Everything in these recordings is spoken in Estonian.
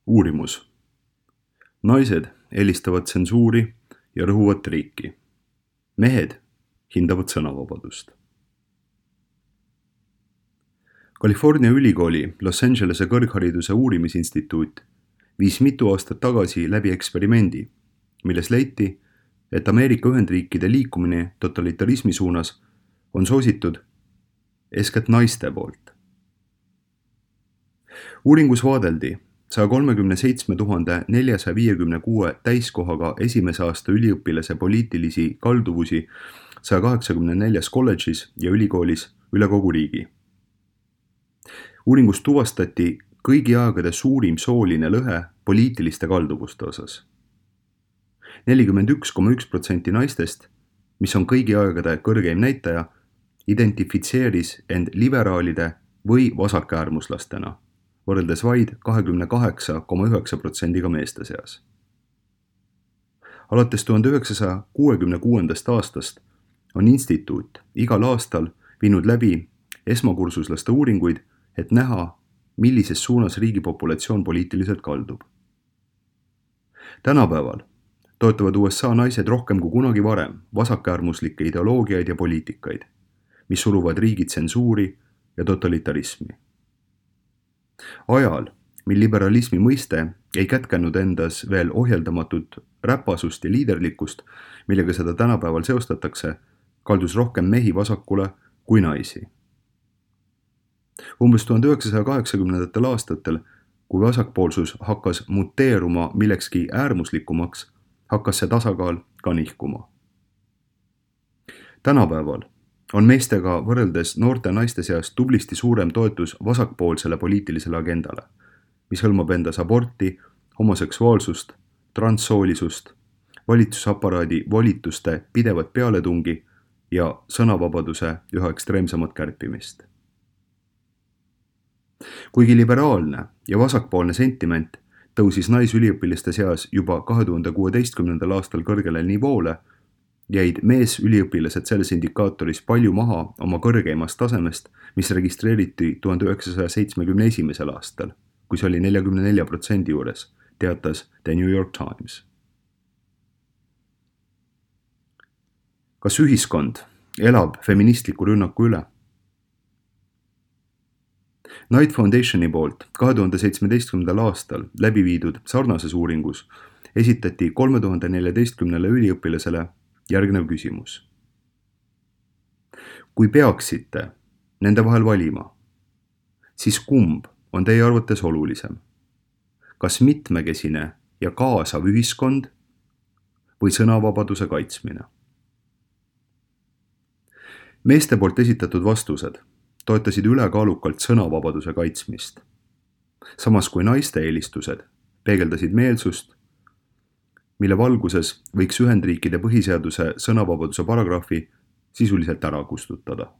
Uurimus. Naised eelistavad tsensuuri ja rõhuvat riiki. Mehed hindavad sõnavabadust. California ülikooli Los Angelese kõrghariduse uurimisinstituut viis mitu aastat tagasi läbi eksperimendi, milles leiti, et Ameerika Ühendriikide liikumine totalitarismi suunas on soositud eeskätt naiste poolt. Uuringus vaadeldi 137 456 täiskohaga esimese aasta üliõpilase poliitilisi kalduvusi 184 kolledžis ja ülikoolis üle kogu riigi. Uuringus tuvastati kõigi aegade suurim sooline lõhe poliitiliste kalduvuste osas. 41,1% naistest, mis on kõigi aegade kõrgeim näitaja, identifitseeris end liberaalide või vasakäärmuslastena, võrreldes vaid 28,9% meeste seas. Alates 1966. aastast on instituut igal aastal viinud läbi esmakursuslaste uuringuid, et näha, millises suunas riigi populatsioon poliitiliselt kaldub. Tänapäeval toetavad USA naised rohkem kui kunagi varem vasakäärmuslikke ideoloogiaid ja poliitikaid, mis suruvad riigi tsensuuri ja totalitarismi. Ajal, mil liberalismi mõiste ei kätkenud endas veel ohjeldamatut räpasust ja liiderlikkust, millega seda tänapäeval seostatakse, kaldus rohkem mehi vasakule kui naisi. Umbes 1980. aastatel, kui vasakpoolsus hakkas muteeruma millekski äärmuslikumaks, hakkas see tasakaal ka nihkuma. Tänapäeval on meestega võrreldes noorte naiste seas tublisti suurem toetus vasakpoolsele poliitilisele agendale, mis hõlmab endas aborti, homoseksuaalsust, transsoolisust, valitsusaparaadi volituste pidevat pealetungi ja sõnavabaduse üha ekstreemsemat kärpimist. Kuigi liberaalne ja vasakpoolne sentiment tõusis naisüliõpiliste seas juba 2016. aastal kõrgele nivoole, jäid meesüliõpilased selles indikaatoris palju maha oma kõrgeimast tasemest, mis registreeriti 1971. aastal, kui see oli 44% juures, teatas The New York Times. Kas ühiskond elab feministliku rünnaku üle? Knight Foundationi poolt 2017. aastal läbi viidud sarnases uuringus esitati 3014 üliõpilasele järgnev küsimus. Kui peaksite nende vahel valima, siis kumb on teie arvates olulisem? Kas mitmekesine ja kaasav ühiskond või sõnavabaduse kaitsmine? Meeste poolt esitatud vastused toetasid ülekaalukalt sõnavabaduse kaitsmist, samas kui naiste eelistused peegeldasid meelsust, mille valguses võiks Ühendriikide põhiseaduse sõnavabaduse paragrahvi sisuliselt ära kustutada.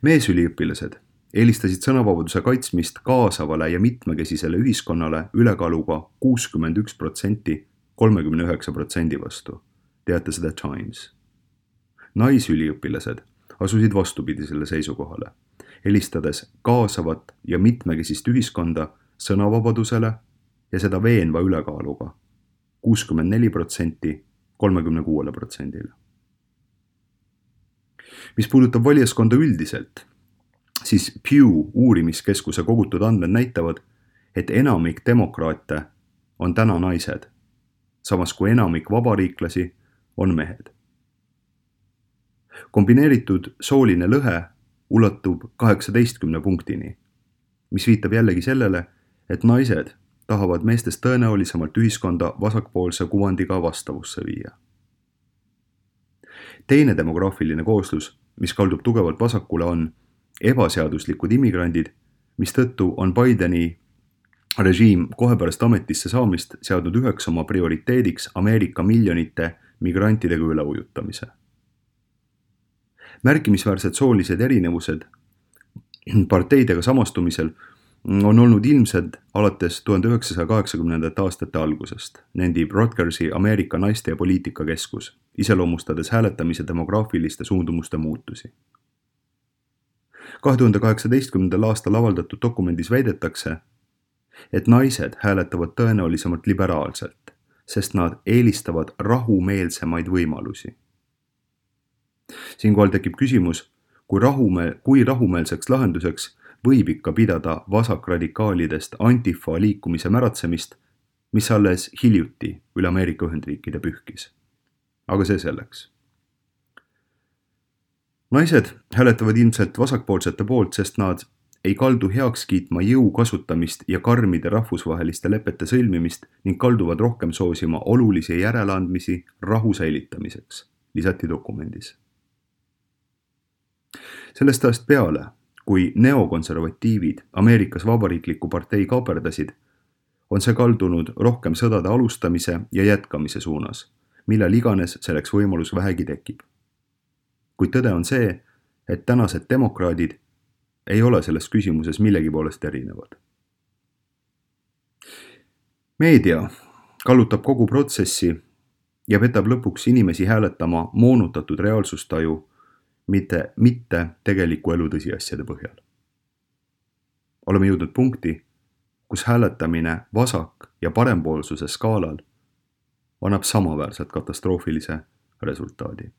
Meesüliõpilased eelistasid sõnavabaduse kaitsmist kaasavale ja mitmekesisele ühiskonnale ülekaaluga 61% 39% vastu, teatas The Times. Naisüliõpilased asusid vastupidisele seisukohale, eelistades kaasavat ja mitmekesist ühiskonda sõnavabadusele ja seda veenva ülekaaluga 64% 36%. Mis puudutab valijaskonda üldiselt, siis Pew uurimiskeskuse kogutud andmed näitavad, et enamik demokraate on täna naised, samas kui enamik vabariiklasi on mehed. Kombineeritud sooline lõhe ulatub 18 punktini, mis viitab jällegi sellele, et naised tahavad meestest tõenäolisemalt ühiskonda vasakpoolse kuvandiga vastavusse viia. Teine demograafiline kooslus, mis kaldub tugevalt vasakule, on ebaseaduslikud immigrandid, mistõttu on Bideni režiim kohe pärast ametisse saamist seadnud üheks oma prioriteediks Ameerika miljonite migrantidega üleujutamise. Märkimisväärsed soolised erinevused parteidega samastumisel on olnud ilmsed alates 1980. aastate algusest, nendib Rutgersi Ameerika naiste ja poliitika keskus, iseloomustades hääletamise demograafiliste suundumuste muutusi. 2018. aastal avaldatud dokumendis väidetakse, et naised hääletavad tõenäolisemalt liberaalselt, sest nad eelistavad rahumeelsemaid võimalusi. Siinkohal tekib küsimus, kui rahumeelseks lahenduseks võib ikka pidada vasakradikaalidest Antifa liikumise märatsemist, mis alles hiljuti üle Ameerika Ühendriikide pühkis. Aga see selleks. Naised hääletavad ilmselt vasakpoolsete poolt, sest nad ei kaldu heaks kiitma jõu kasutamist ja karmide rahvusvaheliste lepete sõlmimist ning kalduvad rohkem soosima olulisi järeleandmisi rahu säilitamiseks, lisati dokumendis. Sellest ajast peale, kui neokonservatiivid Ameerikas vabariikliku partei kaaperdasid, on see kaldunud rohkem sõdade alustamise ja jätkamise suunas, millal iganes selleks võimalus vähegi tekib. Kuid tõde on see, et tänased demokraadid ei ole selles küsimuses millegi poolest erinevad. Meedia kallutab kogu protsessi ja petab lõpuks inimesi hääletama moonutatud reaalsustaju, mitte tegeliku elu tõsiasjade põhjal. Oleme jõudnud punkti, kus hääletamine vasak- ja parempoolsuse skaalal annab samaväärselt katastroofilise resultaadi.